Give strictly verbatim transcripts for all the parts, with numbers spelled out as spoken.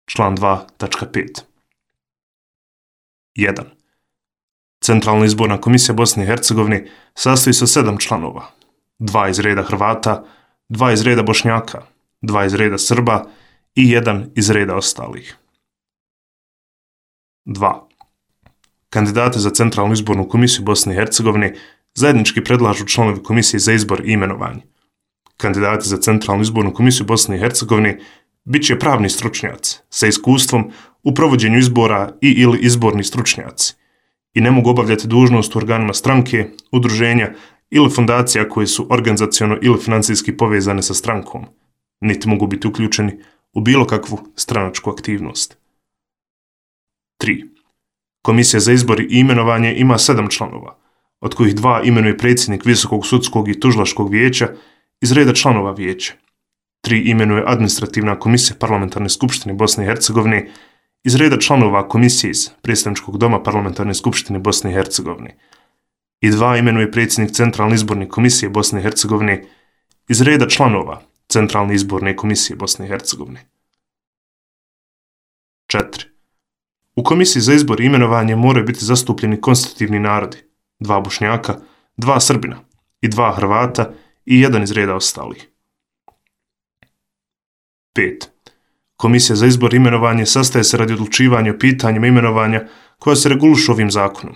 član dva tačka pet. jedan. Centralna izborna komisija Bosne i Hercegovine sastoji se od sedam članova, dva iz reda Hrvata, dva iz reda Bošnjaka, dva iz reda Srba i jedan iz reda ostalih. dva. Kandidate za Centralnu izbornu komisiju Bosne i Hercegovine zajednički predlažu članovi Komisije za izbor i imenovanje. Kandidati za Centralnu izbornu komisiju Bosne i Hercegovine bit će pravni stručnjaci sa iskustvom u provođenju izbora i ili izborni stručnjaci i ne mogu obavljati dužnost u organima stranke, udruženja ili fondacija koje su organizaciono ili financijski povezane sa strankom, niti mogu biti uključeni u bilo kakvu stranačku aktivnost. tri. Komisija za izbor i imenovanje ima sedam članova, od kojih dva imenuje predsjednik Visokog sudskog i tužilačkog vijeća iz reda članova vijeća. Tri imenuje administrativna komisija Parlamentarne skupštine Bosne i Hercegovine iz reda članova komisije iz Predstavničkog doma Parlamentarne skupštine Bosne i Hercegovine i dva imenuje predsjednik Centralne izborne komisije Bosne i Hercegovine iz reda članova Centralne izborne komisije Bosne i Hercegovine. četiri. U komisiji za izbor i imenovanje moraju biti zastupljeni konstitutivni narodi, dva Bošnjaka, dva Srbina i dva Hrvata i jedan iz reda ostalih. pet. Komisija za izbor i imenovanje sastaje se radi odlučivanja o pitanjima imenovanja koja se regulišu ovim zakonom.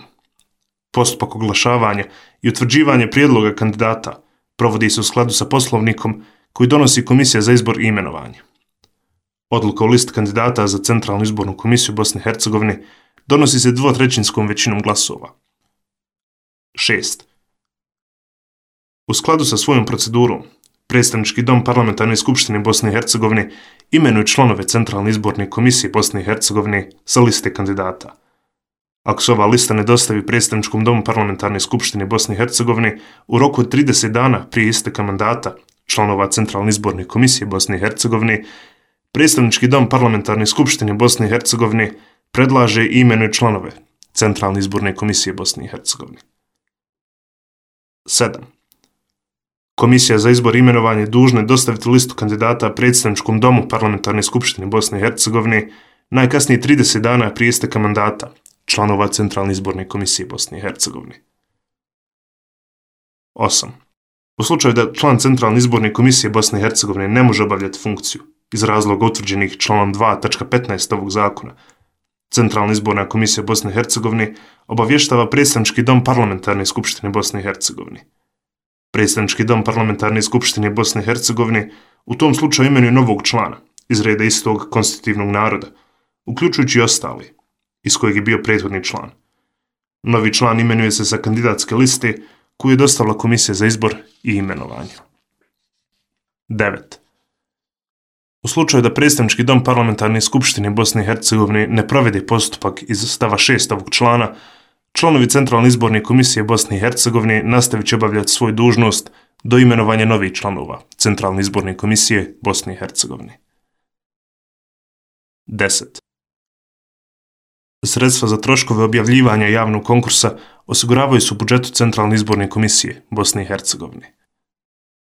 Postupak oglašavanja i utvrđivanje prijedloga kandidata provodi se u skladu sa poslovnikom koji donosi Komisija za izbor i imenovanje. Odluka o listi kandidata za Centralnu izbornu komisiju Bosne i Hercegovine donosi se dvotrećinskom većinom glasova. šest. U skladu sa svojom procedurom, Predstavnički dom Parlamentarne skupštine Bosne i Hercegovine imenuje članove Centralne izborne komisije Bosne i Hercegovine sa liste kandidata. Ako se ova lista ne dostavi Predstavničkom domu Parlamentarne skupštine Bosne i Hercegovine u roku od trideset dana prije isteka mandata članova Centralne izborne komisije Bosne i Hercegovine, Predstavnički dom Parlamentarne skupštine Bosne i Hercegovine predlaže i imenuje članove Centralne izborne komisije Bosne i Hercegovine. sedam. Komisija za izbor i imenovanje dužna je dostaviti listu kandidata Predstavničkom domu Parlamentarne skupštine Bosne i Hercegovine najkasnije trideset dana prije isteka mandata članova Centralne izborne komisije Bosne i Hercegovine. osam. U slučaju da član Centralne izborne komisije Bosne i Hercegovine ne može obavljati funkciju iz razloga utvrđenih članom dva tačka petnaest ovog zakona, Centralna izborna komisija Bosne i Hercegovine obavještava Predstavnički dom Parlamentarne skupštine Bosne i Hercegovine. Predstavnički dom Parlamentarne skupštine Bosne i Hercegovine u tom slučaju imenuje novog člana iz reda istog konstitutivnog naroda, uključujući i ostali, iz kojeg je bio prethodni član. Novi član imenuje se sa kandidatske liste koju je dostavila Komisija za izbor i imenovanje. devet. U slučaju da Predstavnički dom Parlamentarne skupštine Bosne i Hercegovine ne provede postupak iz stava šest ovog člana, članovi Centralne izborne komisije Bosne i Hercegovine nastavit će obavljati svoju dužnost do imenovanja novih članova Centralne izborne komisije Bosne i Hercegovine. deset. Sredstva za troškove objavljivanja javnog konkursa osiguravaju se u budžetu Centralne izborne komisije Bosne i Hercegovine.